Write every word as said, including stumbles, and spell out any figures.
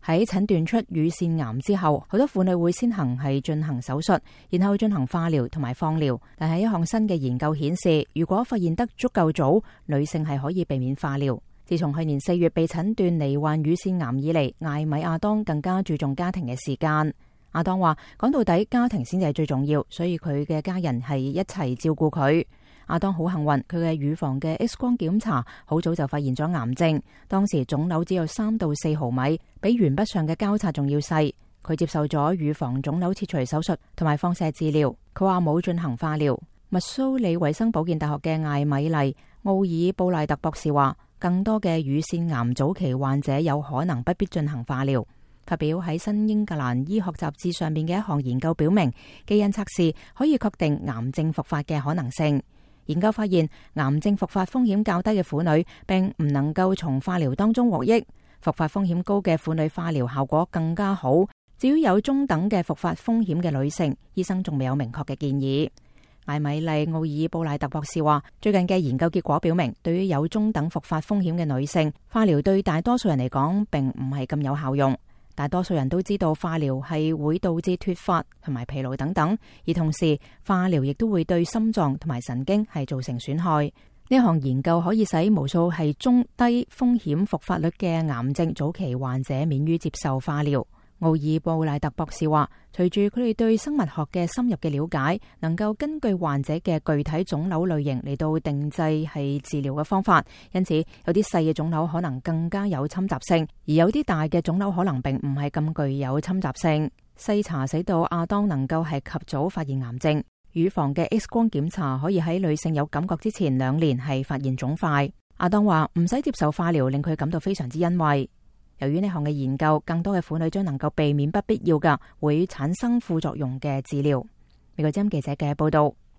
喺診斷出乳腺癌之後，好多婦女會先行係進行手術，然後進行化療同埋放療。但係一項新嘅研究顯示，如果發現得足夠早，女性係可以避免化療。自從去年四月被診斷罹患乳腺癌以嚟，艾米亞當更加注重家庭嘅時間。亞當話：講到底，家庭先至係最重要，所以佢嘅家人係一齊照顧佢。亞當好幸運，佢嘅乳房嘅 X 光檢查好早就發現咗癌症，當時腫瘤只有三到四毫米，比鉛筆上嘅膠擦仲要細。佢接受咗乳房腫瘤切除手術同埋放射治療。佢話冇進行化療。密蘇里衛生保健大學嘅艾米麗奧爾布賴特博士話，更多嘅乳腺癌早期患者有可能不必進行化療。發表喺新英格蘭醫學雜誌上面嘅一項研究表明，基因測試可以確定癌症復發嘅可能性。研究發現，癌症復發風險較低嘅婦女並唔能夠從化療當中獲益，復發風險高嘅婦女化療效果更加好。至於有中等嘅復發風險嘅女性，醫生仲未有明確嘅建議。艾米麗奧爾布賴特博士話，最近嘅研究結果表明，對於有中等復發風險嘅女性，化療對大多數人嚟講並唔係咁有效用。大多數人都知道化療係會導致脫髮同埋疲勞等等，而同時化療亦都會對心臟同埋神經係造成損害。呢項研究可以使無數係中低風險復發率嘅癌症早期患者免於接受化療。奧爾布賴特博士話，隨住佢哋對生物學嘅深入嘅了解，能夠根據患者嘅具體腫瘤類型嚟到定製係治療嘅方法。因此，有啲細嘅腫瘤可能更加有侵襲性，而有啲大嘅腫瘤可能並唔係咁具有侵襲性。篩查使到亞當能夠係及早發現癌症。乳房嘅 X 光檢查可以喺女性有感覺之前兩年係發現腫塊。亞當話唔使接受化療令佢感到非常之欣慰。由於呢項嘅研究，更多嘅婦女將能夠避免不必要嘅會產生副作用嘅治療。美國之音記者嘅報道。